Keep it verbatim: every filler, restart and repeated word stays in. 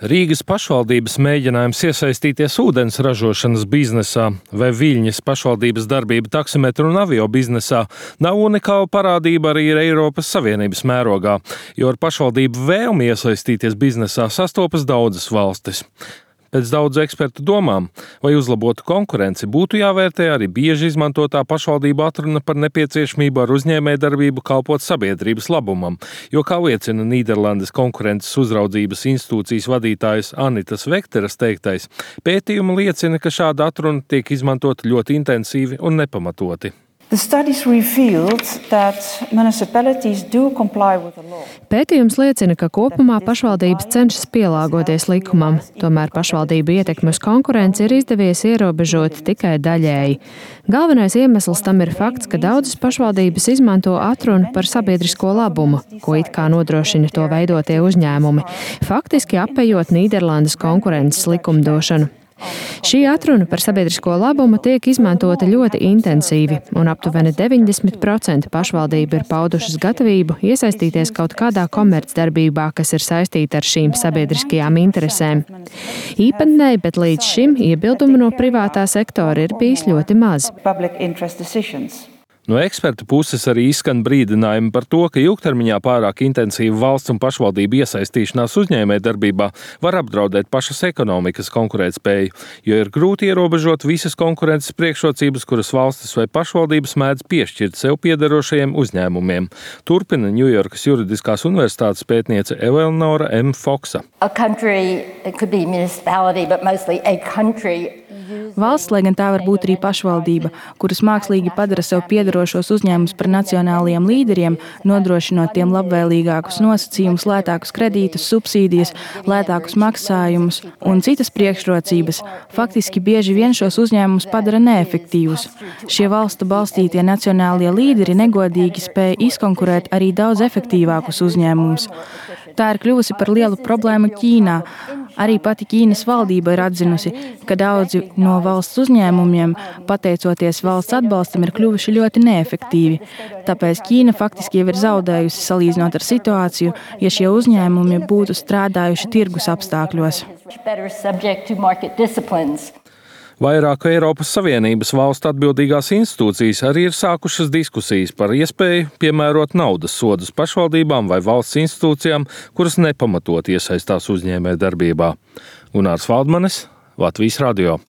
Rīgas pašvaldības mēģinājums iesaistīties ūdens ražošanas biznesā vai Viļņas pašvaldības darbība taksimetru un avio biznesā nav unikāla parādība arī Eiropas Savienības mērogā, jo ar pašvaldību vēlmi iesaistīties biznesā sastopas daudzas valstis. Pēc daudzu ekspertu domām, vai uzlabotu konkurenci, būtu jāvērtē arī bieži izmantotā pašvaldību atruna par nepieciešamību ar uzņēmējdarbību kalpot sabiedrības labumam, jo, kā liecina Nīderlandes konkurences uzraudzības institūcijas vadītājas Anitas Vekteras teiktais, pētījumi liecina, ka šāda atruna tiek izmantota ļoti intensīvi un nepamatoti. Pētījums liecina, ka kopumā pašvaldības cenšas pielāgoties likumam, tomēr pašvaldību ietekmi uz konkurenci ir izdevies ierobežot tikai daļēji. Galvenais iemesls tam ir fakts, ka daudzas pašvaldības izmanto atrunu par sabiedrisko labumu, ko it kā nodrošina to veidotie uzņēmumi, faktiski apejot Nīderlandes konkurences likumdošanu. Šī atruna par sabiedrisko labumu tiek izmantota ļoti intensīvi, un aptuveni deviņdesmit procenti pašvaldību ir paudušas gatavību iesaistīties kaut kādā komercdarbībā, kas ir saistīta ar šīm sabiedriskajām interesēm. Īpatnēji, bet līdz šim iebildumu no privātā sektora ir bijis ļoti maz. No ekspertu puses arī izskan brīdinājumi par to, ka ilgtermiņā pārāk intensīva valsts un pašvaldību iesaistīšanās uzņēmējdarbībā var apdraudēt pašas ekonomikas konkurētspēju, jo ir grūti ierobežot visas konkurences priekšrocības, kuras valstis vai pašvaldības mēdz piešķirt sev piederošajiem uzņēmumiem. Turpina Ņujorkas Juridiskās universitātes pētniece Eleonora M. Foksa. Valsts, lai gan tā var būt arī pašvaldība, kuras mākslīgi padara sev piederošos uzņēmumus par nacionālajiem līderiem, nodrošinot tiem labvēlīgākus nosacījumus, lētākus kredītus, subsīdijas, lētākus maksājumus un citas priekšrocības, faktiski bieži vien šos uzņēmumus padara neefektīvus. Šie valstu balstītie nacionālie līderi negodīgi spēja izkonkurēt arī daudz efektīvākus uzņēmumus. Tā ir kļuvusi par lielu problēmu Ķīnā. Arī pati Ķīnas valdība ir atzinusi, ka daudzi no valsts uzņēmumiem, pateicoties valsts atbalstam, ir kļuvuši ļoti neefektīvi. Tāpēc Ķīna faktiski jau ir zaudējusi salīdzinot ar situāciju, ja šie uzņēmumi būtu strādājuši tirgus apstākļos. Vairāku Eiropas Savienības valstu atbildīgās institūcijas arī ir sākušas diskusijas par iespēju piemērot naudas sodus pašvaldībām vai valsts institūcijām, kuras nepamatot iesaistās uzņēmējdarbībā. Gunārs Valdmanis, Latvijas radio.